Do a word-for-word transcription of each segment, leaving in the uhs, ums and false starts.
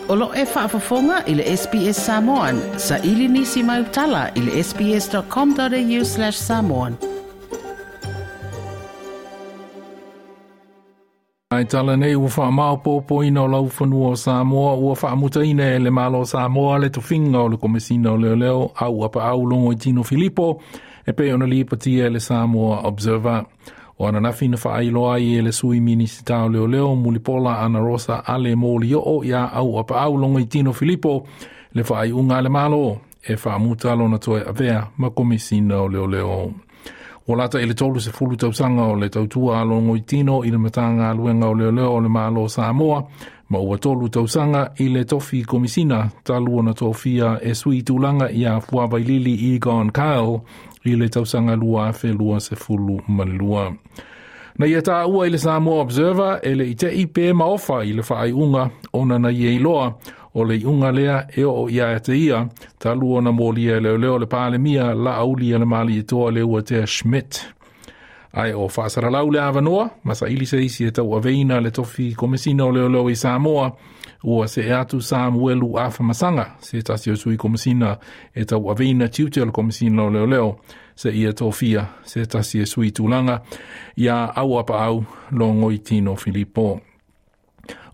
O lo e faafofoga i le S B S Samoan, sa ili nisi mai utala i le sbs.com.au slash samoan. Ai tala nei ua whaamaopopo ina o laufanua o Samoa ua whaamutaina e le malo Samoa le tofinga o le komesina o leo leo au apa au longo i Tino Filipo e pe ona lipatia e le Samoa Observer. O ananafi na whaailoa ai e le sui minisita o leo leo mulipola ana rosa ale moli o ia au apa au longo i Tino Filipo le whaaiunga le malo e whaamuta lona toe avea ma komesina o leo leo. O lata i le tolu se fulu tausanga o le tautua a longo i tino i le matanga luenga o leo leo o le malo Samoa, ma ua tolu tausanga i le tofi komisina talua na tofia e sui tūlanga ia Fuavailili Egon Kyle i le tausanga lua afe lua se fulu malua. Na ia tā ua i le Samoa Observer e le ite i pe maofa i le whaaiunga ona na ia iloa o le iunga lea e o ia e te ia, talu ona mōlia e leo leo le pālemia la auli a le mali e toa le ua tea Schmidt. Ai o whaasaralau le awanoa, masa ili se isi e tau aveina le tofi komesina o leo leo i Samoa, ua se e atu Samuelu Afamasanga, se tasi o sui komesina e tau aveina tiute o le komesina o leo leo, se ia tofia, se tasi e sui tūlanga, ia au apa au longo i Tino Filipo.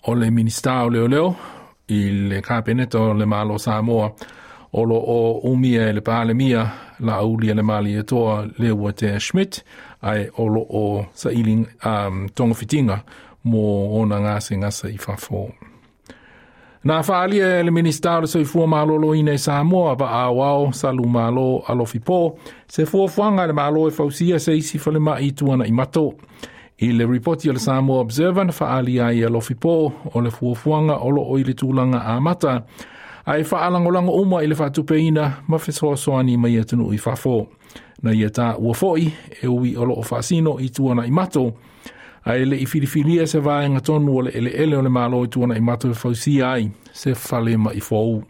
O le minista o leo leo, i le kapeneta o le malo Samoa, o lo o umia e le pālemia la auli e le mali e toa le ua tea Schmidt, ai o lo o sa ili um, tonga fitinga mo ona ngase ngasa i fafo. Nā whaalia e le minista o le soifua malolo ina i Samoa wa awao salu malo alofi pō, se fuafuanga le malo e fausia se isi whale mai tuana i mato. I le ripoti o le Samoa Observer na whaalia ai alofi pō o le fuafuanga o lo o i le tūlanga a mata, ai whaalangolango uma i le whaatupeina ma whesoasoani mai atunu i fafo. Na ia tā ua foi e ui o lo o whaasino i tuana i mato, ai le i filifilia se vaenga tonu o le ele ele o le malo i tuana i mato e fausia ai se whale mai fou.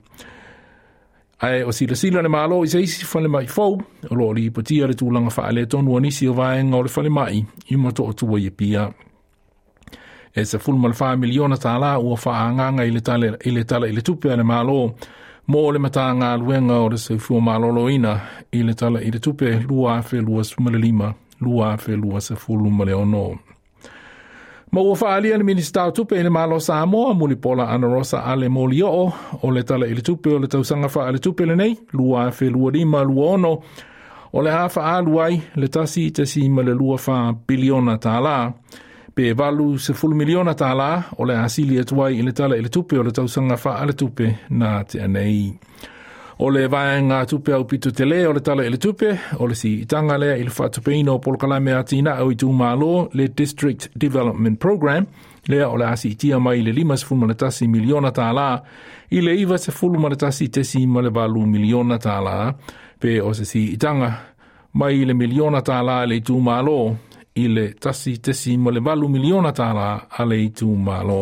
Ai o sila sila le malo i se isi whale mai fou, o lo li ipatia le tūlanga whaale tonu anisi o vaenga o le whale mai i mato o tua i pia. E se fulma le wha miliona tālā ua whaanganga i le tala i le tala i le tupe a le malo mō le matanga luenga o le soifua maloloina i le tala i le tupe lua afe lua sumale lima, lua afe lua se fulu male ono. Ma ua whaalia le minista o tupe i le malo Samoa, mulipola ana rosa ale moli o, o le tala i le tupe o le tausanga wha le tupe le nei, lua afe lua lima lua ono, o le hafa alu ai le tasi tesi ma le lua wha biliona tālā, pe valu se fulu miliona tālā, o le asili atuai i le tala i le tupe o le tausanga wha le tupe nā te anei. O le vaenga tupe au pito te le o le tala i le tupe, o le si itanga lea i le whaatupeina o polokalame a tina au i tūmālo le District Development Program, lea o le asi itia mai le lima sefulu ma le tasi miliona tālā, i le iwa sefulu ma le tasi tesi ma le valu miliona tālā, pe o se si itanga mai le miliona tālā le i tūmālo, i le tasi tesi ma le valu miliona tālā a le i tūmālo.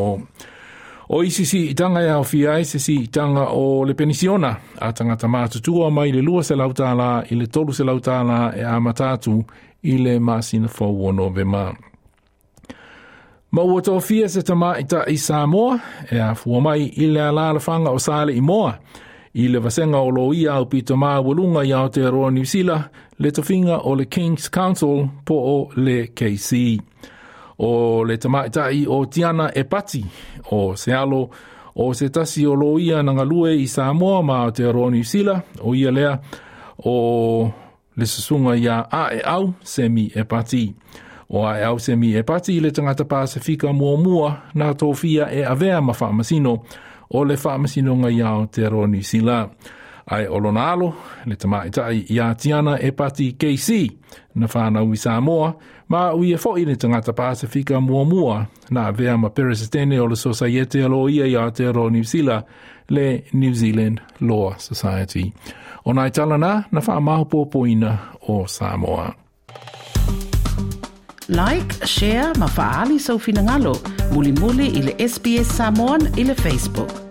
O isi si itanga e awhia ai se si itanga o le penisiona a tangata mātutua mai le lua se lautālā i le tolu se lautālā e a matatu i le masina fau o Novema. Ma ua tōfia se tamaita i Samoa e a fua mai i le alalafanga o Sale i Moa i le vasenga o lo ia au pito māwalunga i Aotearoa New Zealand le tofinga o le King's Council po o le K C. O le tamaitai o Tiana Epati o Sealo o se tasi o loia na ngalue i Samoa ma Aotearoa New Zealand o ia lea o le susunga ia a e au Semi Epati. O a e au Semi Epati le tangata Pasifika muamua nā tōfia e avea ma whaamasino o le whaamasino ia Aotearoa New Zealand. Ai o lona alo, le tamaitai ia Tiana Epati K C, na whanau i Samoa, ma ui e foi le tangata Pasifika muamua, na avea ma peresitene o le Societe alo ia i Aotearoa New Zealand, le New Zealand Law Society. O nai tala nā, na whaamahopopoina o Samoa. Like, share, ma faali sau finangalo, muli muli i le S B S Samoan i le Facebook.